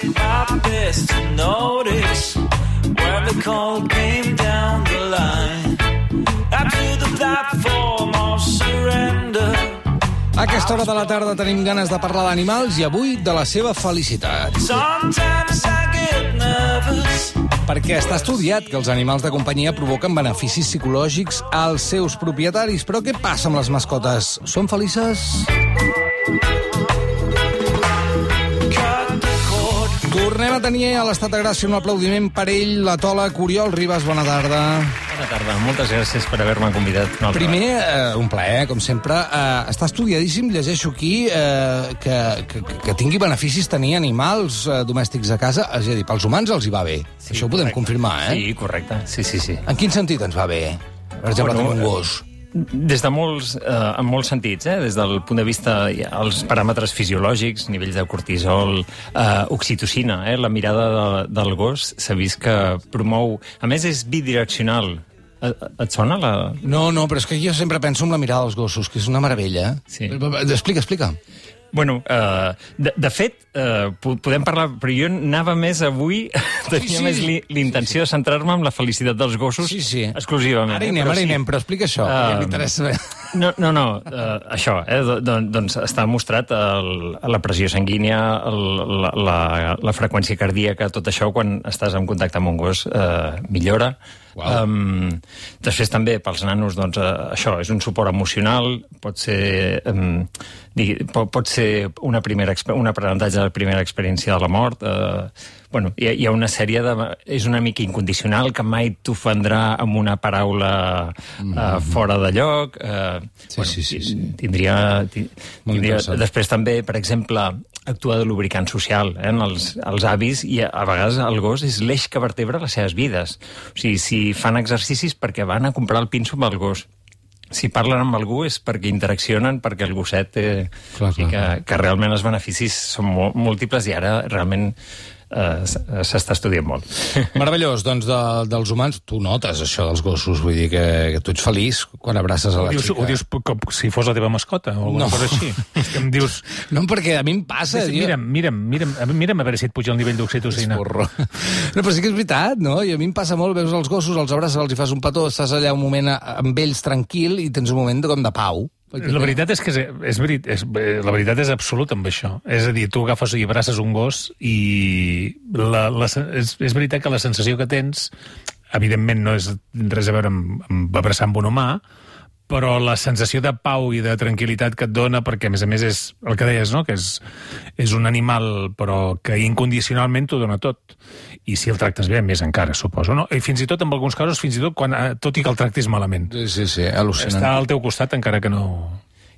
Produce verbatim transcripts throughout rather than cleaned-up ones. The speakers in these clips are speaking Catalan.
did my best to notice when the call came down the line. Up to the platform of surrender. A aquesta hora de la tarda tenim ganes de parlar d'animals i avui de la seva felicitat. Sometimes I get nervous. Perquè està estudiat que els animals de companyia provoquen beneficis psicològics als seus propietaris. Però què passa amb les mascotes? Són felices? Tornem a tenir a l'Estat de Gràcia un aplaudiment per ell, l'etòleg Oriol Ribas. Bona tarda. Bona tarda, moltes gràcies per haver-me convidat. Primer, eh, un plaer, com sempre. Eh, està estudiadíssim, llegeixo aquí, eh, que, que, que tingui beneficis tenir animals eh, domèstics a casa. És a dir, pels humans els hi va bé. Sí, això ho podem correcte. confirmar, eh? Sí, correcte. Sí, sí, sí. En quin sentit ens va bé? Per exemple, Bueno, tenir un gos. Des de molts, eh, en molts sentits, eh? Des del punt de vista dels paràmetres fisiològics, nivells de cortisol, eh, oxitocina, eh? La mirada de, del gos s'ha vist que promou... A més, és bidireccional. Et, et sona la... No, no, però és que jo sempre penso en la mirada dels gossos, que és una meravella. Sí. Explica, explica. Bueno, uh, de, de fet, uh, podem parlar, però jo anava més avui, tenia Sí, sí. més li, l'intenció de centrar-me en la felicitat dels gossos Sí, sí. exclusivament. Ara hi eh? anem, Però ara hi sí. anem, però explica això, Ah, que m'interessa. No, no, no uh, això, eh? Don, doncs està mostrat el, la pressió sanguínia, el, la, la, la freqüència cardíaca, tot això, quan estàs en contacte amb un gos, uh, millora. Uau. Um, després també pels nanos, doncs, uh, això, és un suport emocional, pot ser, um, digui, pot, pot ser una primera, un aprenentatge de la primera experiència de la mort. Uh, bueno, hi ha, hi ha una sèrie de... És una mica incondicional, que mai t'ofendrà amb una paraula uh, fora de lloc. Uh, Sí, sí, sí, sí. Tindria, ti- Molt tindria... interessant. Després també, per exemple, actua de lubricant social, eh, en els, els avis, i a, a vegades el gos és l'eix que vertebra les seves vides. O sigui, si fan exercicis perquè van a comprar el pinso amb el gos. Si parlen amb algú és perquè interaccionen, perquè el gosset... Eh, Clar, i clar. que, que realment els beneficis són molt, múltiples i ara realment eh, s'està estudiant molt. Meravellós, doncs, de, dels humans, tu notes això dels gossos, vull dir que, que tu ets feliç quan abraces a Ho la dius, xica. ho dius com si fos la teva mascota o alguna No. cosa així. És que em dius... No, perquè a mi em passa... Sí, sí, mira'm, mira'm, mira'm, mira'm a veure si et puja el nivell d'oxitocina. Porro. No, però sí que és veritat, no? I a mi em passa molt, veus els gossos, els abraces, els hi fas un petó, estàs allà un moment a- amb ells tranquil i tens un moment de, com de pau. La veritat és que és, és, veri- és, la veritat és absoluta amb això. És a dir, tu agafes i abraces un gos i la, la, és, és veritat que la sensació que tens, evidentment no és res a veure amb, amb abraçar amb un humà, però la sensació de pau i de tranquil·litat que et dona, perquè a més a més és el que deies, no? Que és, és un animal però que incondicionalment t'ho dona tot. I si el tractes bé, més encara, suposo, no? I fins i tot, en alguns casos, fins i tot, quan, eh, tot i que el tractis malament. Sí, sí, sí, al·lucinant. Està al teu costat encara que no...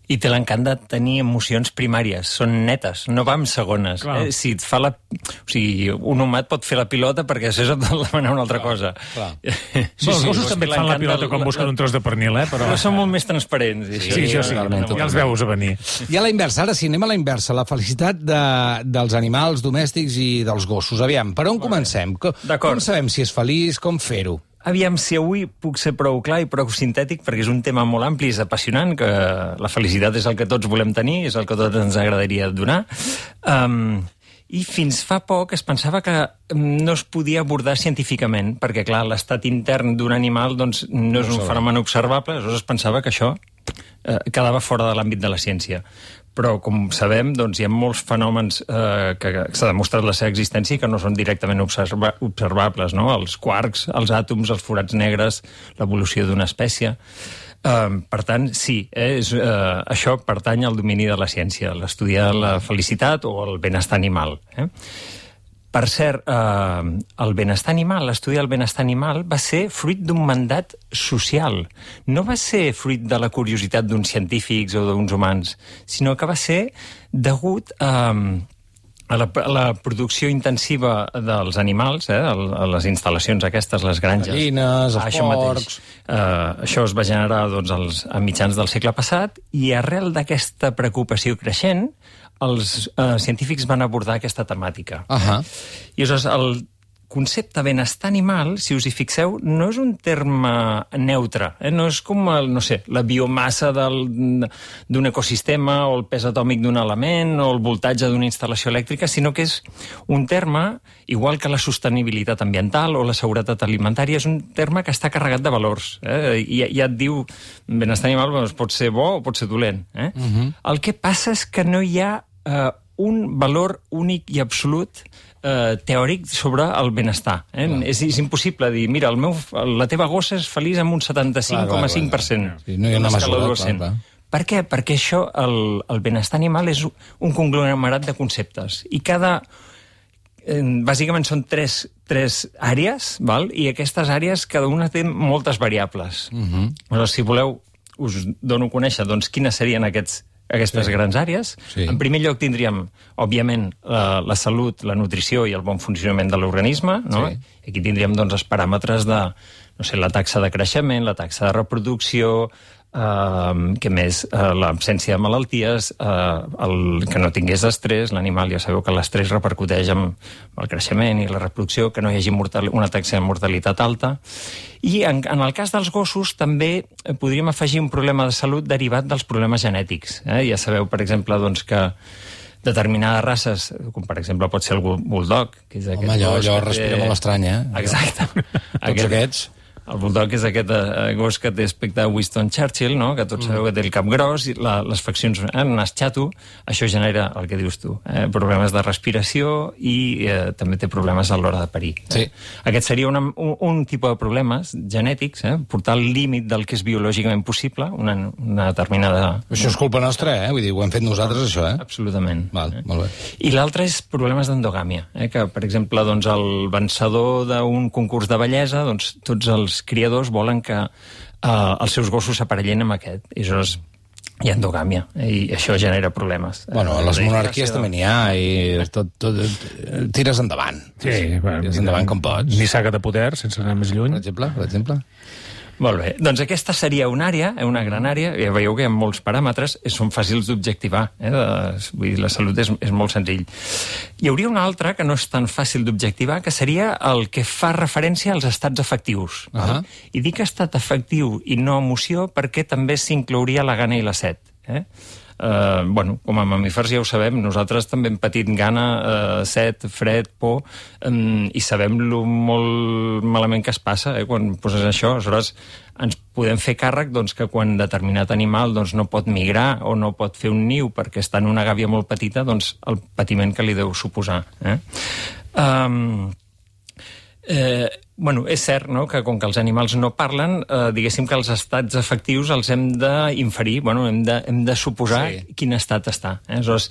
I té l'encant de tenir emocions primàries, són netes, no va amb segones. Eh? Si et fa la... O sigui, un humà et pot fer la pilota perquè després et vol demanar una altra cosa. clar. Sí, Sí, els gossos sí, també et fan la l'encant pilota del- quan busquen un tros de pernil, eh? Però, Però són molt més transparents. i sí, això sí, totalment, ja els veus a venir. I a la inversa, ara sí, anem a la inversa, la felicitat de, dels animals domèstics i dels gossos. Aviam, per on comencem? Com, D'acord. com sabem si és feliç, com fer-ho? Aviam si avui puc ser prou clar i prou sintètic, perquè és un tema molt ampli, és apassionant, que la felicitat és el que tots volem tenir, és el que tots ens agradaria donar. Um, I fins fa poc es pensava que no es podia abordar científicament, perquè, clar, l'estat intern d'un animal doncs, no és un fenomen observable, aleshores es pensava que això eh, quedava fora de l'àmbit de la ciència. Però, com sabem, doncs, hi ha molts fenòmens eh, que s'ha demostrat la seva existència i que no són directament observa observables, no? Els quarks, els àtoms, els forats negres, l'evolució d'una espècie. Uh, per tant, sí, eh, és, uh, això pertany al domini de la ciència, l'estudiar la felicitat o el benestar animal. Eh? Per cert, eh, el benestar animal, l'estudi del benestar animal va ser fruit d'un mandat social. No va ser fruit de la curiositat d'uns científics o d'uns humans, sinó que va ser degut a, a, la, a la producció intensiva dels animals, eh, a les instal·lacions aquestes, les granges. Gallines, els Ah, això porcs... mateix. Uh, això es va generar doncs, als, a mitjans del segle passat i arrel d'aquesta preocupació creixent els uh, científics van abordar aquesta temàtica. Ahà. I aleshores el concepte benestar animal, si us hi fixeu, no és un terme neutre. Eh? No és com, el, no sé, la biomassa d'un ecosistema o el pes atòmic d'un element o el voltatge d'una instal·lació elèctrica, sinó que és un terme, igual que la sostenibilitat ambiental o la seguretat alimentària, és un terme que està carregat de valors. Eh? I ja et diu, benestar animal doncs, pot ser bo o pot ser dolent. Eh? Uh-huh. El que passa és que no hi ha eh, un valor únic i absolut Eh, teòric sobre el benestar. Eh? És, és impossible dir, mira, el meu, la teva gossa és feliç amb un setanta-cinc coma cinc per cent. Sí, no hi ha una mesura, clar, clar. Per què? Perquè això, el, el benestar animal és un conglomerat de conceptes. I cada... Eh, bàsicament són tres, tres àrees, val? I aquestes àrees, cada una té moltes variables. Uh-huh. Però, si voleu, us dono a conèixer doncs, quines serien aquests aquestes sí. grans àrees. Sí. En primer lloc tindríem, òbviament, la, la salut, la nutrició i el bon funcionament de l'organisme, no? Sí. Aquí tindríem doncs, els paràmetres de, no sé, la taxa de creixement, la taxa de reproducció, Uh, que més, uh, l'absència de malalties, uh, el, que no tingués estrès, l'animal ja sabeu que l'estrès repercuteix en el creixement i la reproducció, que no hi hagi mortal, una taxa de mortalitat alta. I en, en el cas dels gossos també podríem afegir un problema de salut derivat dels problemes genètics. Eh? Ja sabeu, per exemple, doncs, que determinades races, com per exemple pot ser el bulldog, que és aquest... Home, allò, allò respira té... molt estrany, eh? Exacte. Tots aquest... aquests... El bulldog és aquest eh, gos que té aspecte de Winston Churchill, no? Que tots sabeu que té el cap gros i la, les faccions eh, nas xato. Això genera el que dius tu, eh, problemes de respiració i eh, també té problemes a l'hora de parir. Sí. Eh? Aquest seria una, un, un tipus de problemes genètics, eh? Portar al límit del que és biològicament possible, una, una determinada... Això és culpa nostra, eh? Vull dir, ho hem fet nosaltres, això, eh? Absolutament. Val, eh? molt bé. I l'altre és problemes d'endogàmia, eh? Que, per exemple, doncs, el vencedor d'un concurs de bellesa, doncs, tots els criadors volen que eh, els seus gossos s'aparellen amb aquest. I això és, hi ha endogàmia, i això genera problemes. Bueno, a les monarquies també n'hi ha, i tot, tot, tires endavant. Sí, bueno, tires endavant com pots. Ni saga de poder, sense anar més lluny. Per exemple, per exemple. Molt bé. Doncs aquesta seria una àrea, eh, una gran àrea. Ja veieu que hi ha molts paràmetres, eh, són fàcils d'objectivar. Eh, de, vull dir, la salut és, és molt senzill. Hi hauria una altra que no és tan fàcil d'objectivar, que seria el que fa referència als estats afectius. Uh -huh. I dic estat afectiu i no emoció perquè també s'inclouria la gana i la set. Eh? Uh, bueno, com a mamífers ja ho sabem, nosaltres també hem patit gana, uh, set, fred, por, um, i sabem lo molt malament que es passa eh, quan poses això. Aleshores, ens podem fer càrrec doncs, que quan determinat animal doncs, no pot migrar o no pot fer un niu perquè està en una gàbia molt petita, doncs el patiment que li deu suposar. Eh? Um, eh, Bueno, és cert, no?, que com que els animals no parlen, eh, diguéssim que els estats afectius els hem d'inferir, bueno, hem de, hem de suposar sí. quin estat està. Eh? Aleshores,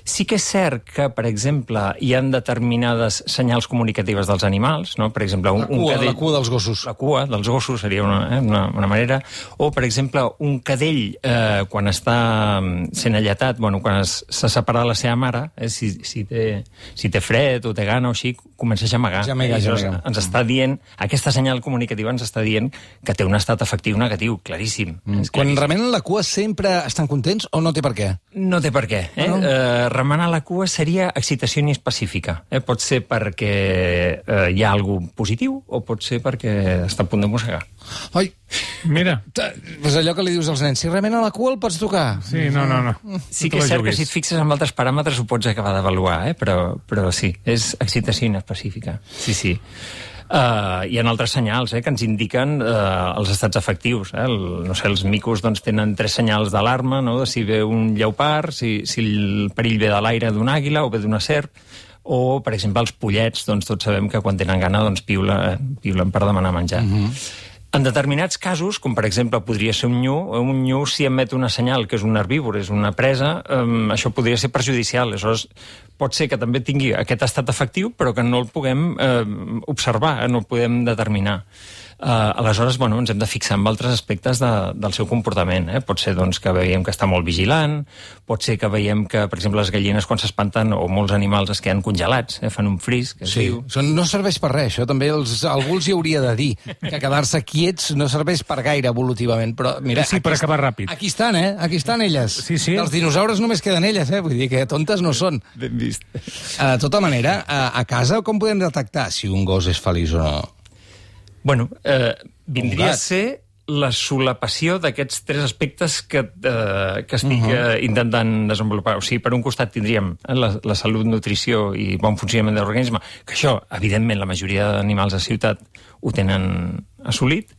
sí que és cert que, per exemple, hi ha determinades senyals comunicatives dels animals, no? Per exemple, un, la cua, un cadell... La cua dels gossos. La cua dels gossos seria una, eh, una, una manera. O, per exemple, un cadell, eh, quan està sent alletat, bueno, quan s'ha separat la seva mare, eh, si, si, té, si té fred o té gana o així, comença a gemegar. Gemegar, eh? gemegar. Ens està dient, aquesta senyal comunicativa ens està dient que té un estat afectiu negatiu, claríssim. Mm. Quan remenen la cua sempre estan contents o no té per què? No té per què. Eh? No, no. Eh, remenar la cua seria excitació inespecífica. Eh? Pot ser perquè eh, hi ha alguna positiu o pot ser perquè està a punt de mossegar. Ai, mira. Pues allò que li dius als nens, si remena la cua el pots tocar. Sí, no, no, no. Sí que és cert que si et fixes en altres paràmetres ho pots acabar d'avaluar, eh? però, però sí, és excitació inespecífica. Sí, sí. Uh, hi ha altres senyals eh, que ens indiquen uh, els estats afectius. Eh? El, no sé, els micos doncs, tenen tres senyals d'alarma, no? De si ve un lleopard, si, si el perill ve de l'aire d'una àguila o ve d'una serp, o, per exemple, els pollets, doncs, tots sabem que quan tenen gana doncs, piula, eh, piulen per demanar menjar. Uh-huh. En determinats casos, com per exemple podria ser un nyu, un nyu si emet una senyal que és un herbívor, és una presa, um, això podria ser perjudicial. Aleshores, pot ser que també tingui aquest estat afectiu, però que no el puguem eh, observar, eh, no el podem determinar. Uh, aleshores, bueno, ens hem de fixar en altres aspectes de, del seu comportament. Eh? Pot ser doncs, que veiem que està molt vigilant, pot ser que veiem que, per exemple, les gallines quan s'espanten o molts animals es queden congelats, eh? Fan un fris, que es Sí, diu. Són, no serveix per res, això també els, algú els hi hauria de dir, que quedar-se quiets no serveix per gaire evolutivament, però mira... Sí, per aquí, acabar ràpid. Aquí estan, eh? Aquí estan elles. Sí, sí. Dels dinosaures només queden elles, eh? Vull dir que tontes no són. Ben vist. De tota manera, a, a casa com podem detectar si un gos és feliç o no? Bueno, eh, vindria gat. a ser la solapació d'aquests tres aspectes que, eh, que estic uh -huh. eh, intentant desenvolupar. O sigui, per un costat tindríem la, la salut, nutrició i bon funcionament de l'organisme, que això, evidentment, la majoria d'animals a ciutat ho tenen assolit.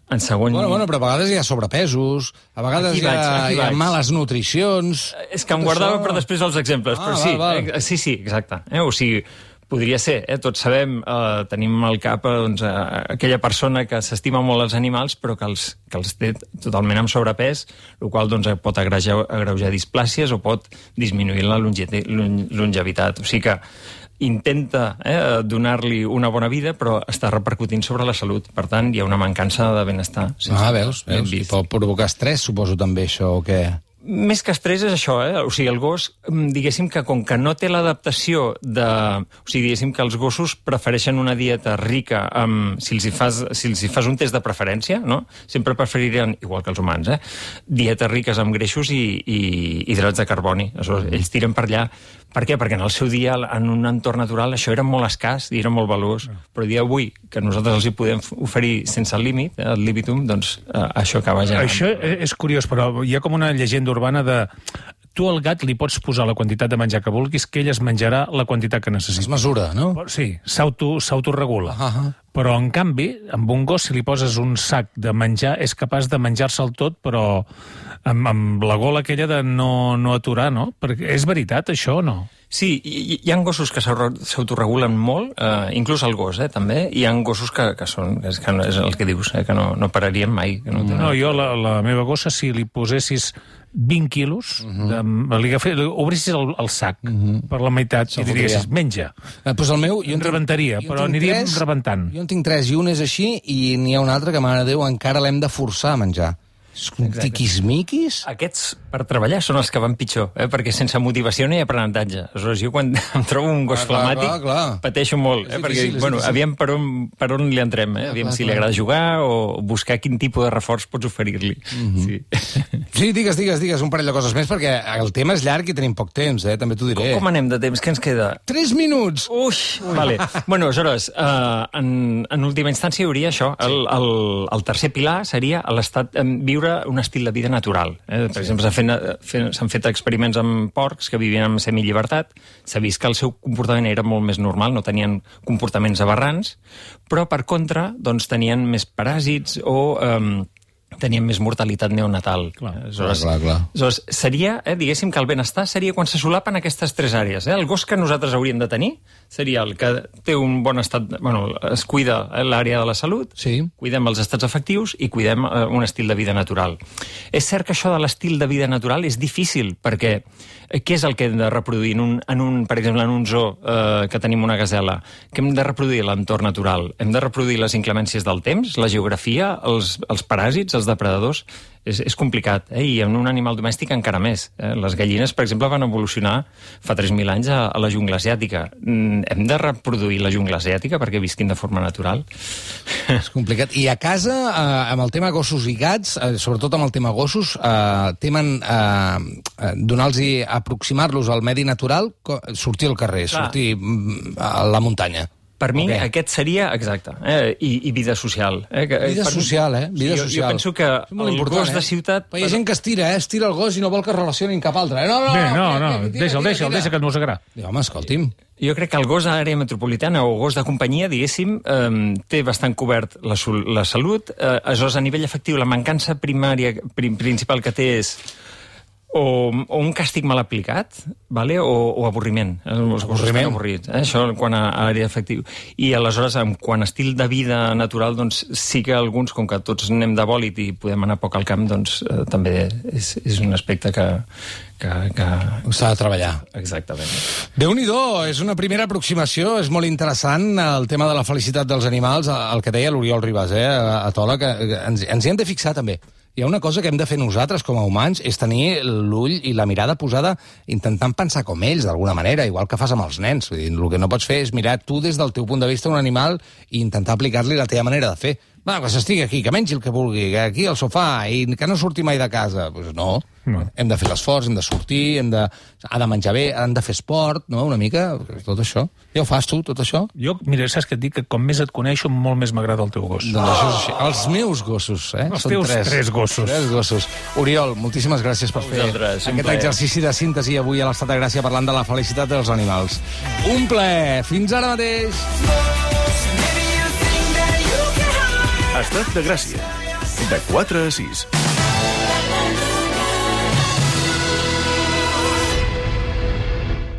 En segon... Bueno, bueno, però a vegades hi ha sobrepesos, a vegades Aquí hi ha, vaig, aquí hi ha vaig. males nutricions... És que em Tot guardava això- per després els exemples, Ah, però val, sí, val. eh, sí, sí, exacte. Eh? O sigui, podria ser, eh? Tots sabem, eh, tenim al cap eh, doncs, eh, aquella persona que s'estima molt els animals, però que els, que els té totalment amb sobrepès, el qual doncs, pot agreujar, agreujar displàcies o pot disminuir la longe- longevitat. O sigui que intenta eh, donar-li una bona vida, però està repercutint sobre la salut. Per tant, hi ha una mancança de benestar. Ah, veus, ben veus. I vist. pot provocar estrès, suposo, també, això, o què? Més que estrès és això, eh? O sigui, el gos, mm, diguéssim que com que no té l'adaptació de... O sigui, diguéssim que els gossos prefereixen una dieta rica amb... Si els hi fas, si els hi fas un test de preferència, no? Sempre preferirien, igual que els humans, eh? Dietes riques amb greixos i, i hidrats de carboni. Aleshores, ells tiren per allà. Per què? Perquè en el seu dia, en un entorn natural, això era molt escàs i era molt valuós. Però el dia d'avui, que nosaltres els hi podem oferir sense límit, eh, el libitum, doncs eh, això acaba generant. Això és curiós, però hi ha com una llegenda urbana de... Tu al gat li pots posar la quantitat de menjar que vulguis, que ell es menjarà la quantitat que Es necessita. mesura, no? Sí, s'auto- s'autoregula. Ah, ah. Però, en canvi, amb un gos, si li poses un sac de menjar, és capaç de menjar-se'l tot, però amb, amb la gola aquella de no, no aturar, no? Perquè és veritat, això, o no? Sí, hi, hi ha gossos que s'auto- s'autoregulen molt, eh, inclús el gos, eh, també. Hi ha gossos que, que són, que és, que no, és el que dius, eh, que no, no pararien mai. Que no, tenen... No, jo, la, la meva gossa, si li posessis vint quilos, uh -huh. de, li, agafé, li obrissis el, el sac uh -huh. per la meitat i diguessis, menja. Eh, doncs el meu... Jo en tinc- Rebentaria, jo en però tinc aniríem tres, rebentant. Jo en tinc tres, i un és així, i n'hi ha un altre que, mare de Déu, encara l'hem de forçar a menjar. És un tiquismiquis... Aquests, per treballar, són els que van pitjor, eh? Perquè sense motivació no hi ha aprenentatge. Aleshores, jo quan em trobo un gos Clar, clar, flemàtic, clar, clar. pateixo molt, És eh? Perquè, difícil, és bueno, difícil. aviam per on, per on li entrem, eh? Aviam clar, si li clar. agrada jugar o buscar quin tipus de reforç pots oferir-li. Mhm. Sí. Sí, digues, digues, digues un parell de coses més, perquè el tema és llarg i tenim poc temps, eh? També t'ho diré. Com anem de temps? Què ens queda? Tres minuts! Ui, vale. Bueno, aleshores, uh, en, en última instància hi hauria això. El, el, el tercer pilar seria l'estat, em, viure un estil de vida natural. Eh? Per exemple, s'han fet, fet, s'han fet experiments amb porcs que vivien en semillibertat. S'ha vist que el seu comportament era molt més normal, no tenien comportaments aberrants, però, per contra, doncs, tenien més paràsits o... Um, tenien més mortalitat neonatal. Clar. Aleshores, Clar, clar, clar. aleshores seria, eh, diguéssim que el benestar seria quan se solapen aquestes tres àrees. Eh? El gos que nosaltres hauríem de tenir seria el que té un bon estat... Bueno, es cuida eh, l'àrea de la salut, Sí. cuidem els estats afectius i cuidem eh, un estil de vida natural. És cert que això de l'estil de vida natural és difícil, perquè eh, què és el que hem de reproduir en un, en un per exemple, en un zoo eh, que tenim una gasela? Que hem de reproduir l'entorn natural? Hem de reproduir les inclemències del temps, la geografia, els, els paràsits, els depredadors? És, és complicat, eh? I en un animal domèstic encara més. Eh? Les gallines, per exemple, van evolucionar fa tres mil anys a, a la jungla asiàtica. Mm, hem de reproduir la jungla asiàtica perquè visquin de forma natural? És complicat. I a casa, eh, amb el tema gossos i gats, eh, sobretot amb el tema gossos, eh, temen eh, eh, donar-los, aproximar-los al medi natural, co- sortir al carrer, Clar. sortir mm, a la muntanya. Per mi, Ok. aquest seria, exacte, eh? I, i vida social. Eh? Que, Vida per mi- social, eh? Vida sí, jo, social. Jo penso que És molt el important, gos de eh? ciutat... Però hi ha gent que es tira, eh? Es tira el gos i no vol que es relacionin cap altre. Eh? No, no, Bé, no, tira, no, tira, tira, deixa'l, tira, deixa'l, tira. deixa que et mossegarà. Diu, home, escolti'm. Jo crec que el gos a l'àrea metropolitana o gos de companyia, diguéssim, eh, té bastant cobert la, sol- la salut. Eh, aleshores, a nivell efectiu, la mancança primària, prim, principal que té és o, o un càstig mal aplicat, vale? o, o avorriment. Els gossos estan avorrits. Eh? Això quan a, a l'àrea afectiva. I aleshores, quan a estil de vida natural, doncs sí que alguns, com que tots anem de bòlit i podem anar poc al camp, doncs eh, també és, és un aspecte que... que, que... s'ha de treballar. Exactament. Déu-n'hi-do, és una primera aproximació, és molt interessant el tema de la felicitat dels animals, el que deia l'Oriol Ribas, eh, a Tola, que ens, ens hi hem de fixar també. Hi ha una cosa que hem de fer nosaltres com a humans, és tenir l'ull i la mirada posada intentant pensar com ells, d'alguna manera, igual que fas amb els nens. Vull dir, el que no pots fer és mirar tu des del teu punt de vista un animal i intentar aplicar-li la teva manera de fer. Va, que s'estigui aquí, que mengi el que vulgui, que aquí al sofà, i que no surti mai de casa. Pues no. no. Hem de fer l'esforç, hem de sortir, hem de... ha de menjar bé, han de fer esport, no? Una mica, tot això. Ja ho fas tu, tot això? Jo, mira, saps què et dic? Que com més et coneixo, molt més m'agrada el teu gos. Doncs això és així. Els meus gossos, eh? Els Són teus tres, tres gossos. Tres gossos. Oriol, moltíssimes gràcies per fer Vosaltres, aquest exercici de síntesi avui a l'Estat de Gràcia parlant de la felicitat dels animals. Un plaer. Fins ara mateix. Estat de Gràcia, de quatre a sis.